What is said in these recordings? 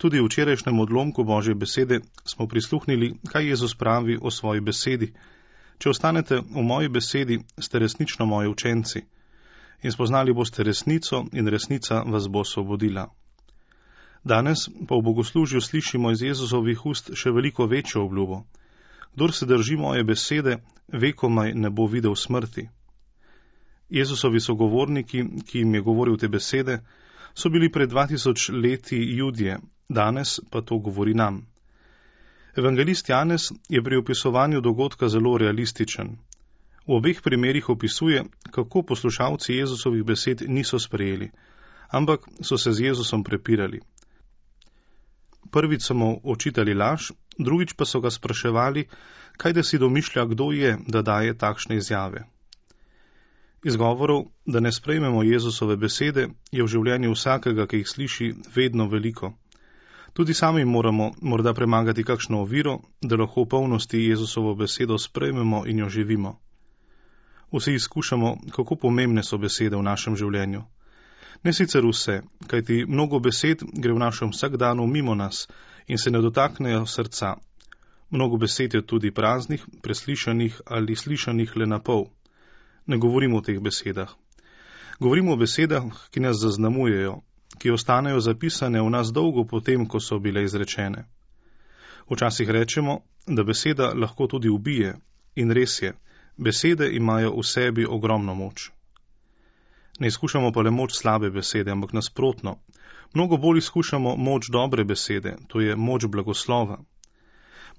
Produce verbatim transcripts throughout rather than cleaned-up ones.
Tudi v včerajšnjem odlomku Božje besede smo prisluhnili, kaj Jezus pravi o svoji besedi. Če ostanete v moji besedi, ste resnično moji učenci in spoznali boste resnico in resnica vas bo osvobodila. Danes pa v bogoslužju slišimo iz Jezusovih ust še veliko večjo obljubo. Kdor se drži moje besede, vekomaj ne bo videl smrti. Jezusovi sogovorniki, ki jim je govoril te besede, so bili pred dva tisoč leti Judje, danes pa to govori nam. Evangelist Janez je pri opisovanju dogodka zelo realističen. V obeh primerih opisuje, kako poslušalci Jezusovih besed niso sprejeli, ampak so se z Jezusom prepirali. Prvič so mu očitali laž, drugič pa so ga spraševali, kaj da si domišlja, kdo je, da daje takšne izjave. Izgovorov, da ne sprejmemo Jezusove besede, je v življenju vsakega, ki jih sliši, vedno veliko. Tudi sami moramo morda premagati kakšno oviro, da lahko v polnosti Jezusovo besedo sprejmemo in jo živimo. Vsi izkušamo, kako pomembne so besede v našem življenju. Ne sicer vse, kajti mnogo besed gre v našem vsakdanu mimo nas in se ne dotaknejo srca. Mnogo besed je tudi praznih, preslišanih ali slišanih le na pol. Ne govorimo o teh besedah. Govorimo o besedah, ki nas zaznamujejo, ki ostanejo zapisane v nas dolgo potem, ko so bile izrečene. Včasih rečemo, da beseda lahko tudi ubije, in res je, besede imajo v sebi ogromno moč. Ne izkušamo pa le moč slabe besede, ampak nasprotno. Mnogo bolj izkušamo moč dobre besede, to je moč blagoslova.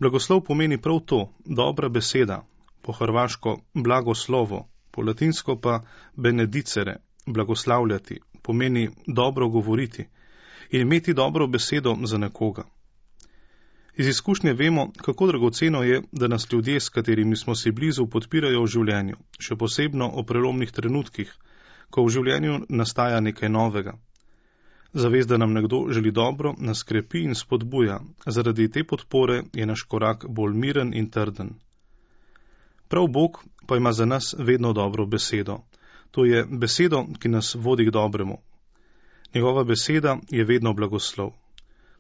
Blagoslov pomeni prav to, dobra beseda, po hrvaško blagoslovo, po latinsko pa benedicere, blagoslavljati, pomeni dobro govoriti in imeti dobro besedo za nekoga. Iz izkušnje vemo, kako dragoceno je, da nas ljudje, s katerimi smo si blizu, podpirajo v življenju, še posebno o prelomnih trenutkih, ko v življenju nastaja nekaj novega. Zavest, da nam nekdo želi dobro, nas krepi in spodbuja, zaradi te podpore je naš korak bolj miren in trden. Prav Bog pa ima za nas vedno dobro besedo. To je besedo, ki nas vodi k dobremu. Njegova beseda je vedno blagoslov.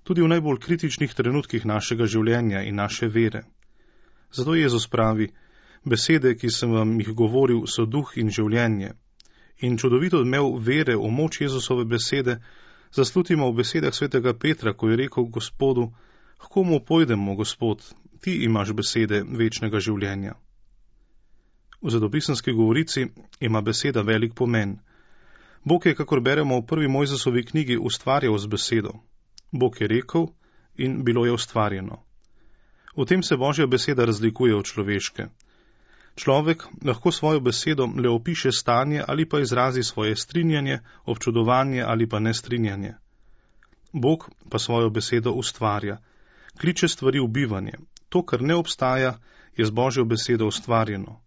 Tudi v najbolj kritičnih trenutkih našega življenja in naše vere. Zato Jezus pravi, besede, ki sem vam jih govoril, so duh in življenje. In čudovito odmev vere v moč Jezusove besede zaslutimo v besedah svetega Petra, ko je rekel Gospodu, k komu pojdemo, Gospod, ti imaš besede večnega življenja. V zadopisenski govorici ima beseda velik pomen. Bog je, kakor beremo v prvi Mojzesovi knjigi, ustvarjal z besedo. Bog je rekel in bilo je ustvarjeno. V tem se Božja beseda razlikuje od človeške. Človek lahko svojo besedo le opiše stanje ali pa izrazi svoje strinjanje, občudovanje ali pa nestrinjanje. Bog pa svojo besedo ustvarja, kliče stvari v bivanje. To, kar ne obstaja, je z Božjo besedo ustvarjeno.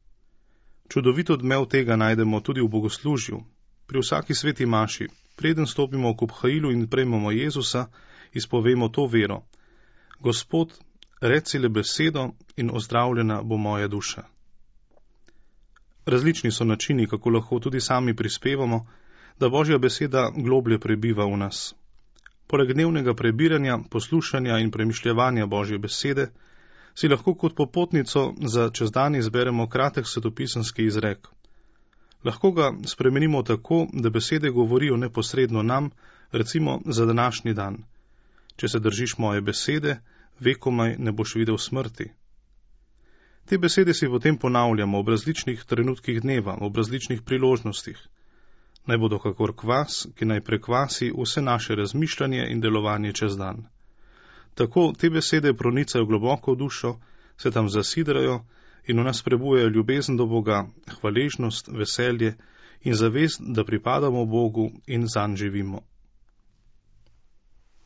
Čudovito odmev tega najdemo tudi v bogoslužju. Pri vsaki sveti maši, preden stopimo k obhajilu in prejmemo Jezusa, izpovemo to vero. Gospod, reci le besedo in ozdravljena bo moja duša. Različni so načini, kako lahko tudi sami prispevamo, da Božja beseda globlje prebiva v nas. Poleg dnevnega prebiranja, poslušanja in premišljevanja Božje besede, si lahko kot popotnico za čez dan izberemo kratek svetopisanski izrek. Lahko ga spremenimo tako, da besede govorijo neposredno nam, recimo za današnji dan. Če se držiš moje besede, vekomaj ne boš videl smrti. Te besede si potem ponavljamo ob različnih trenutkih dneva, ob različnih priložnostih. Naj bodo kakor kvas, ki naj prekvasi vse naše razmišljanje in delovanje čez dan. Tako te besede pronicajo globoko v dušo, se tam zasidrajo in v nas prebujajo ljubezen do Boga, hvaležnost, veselje in zavest, da pripadamo Bogu in zanj živimo.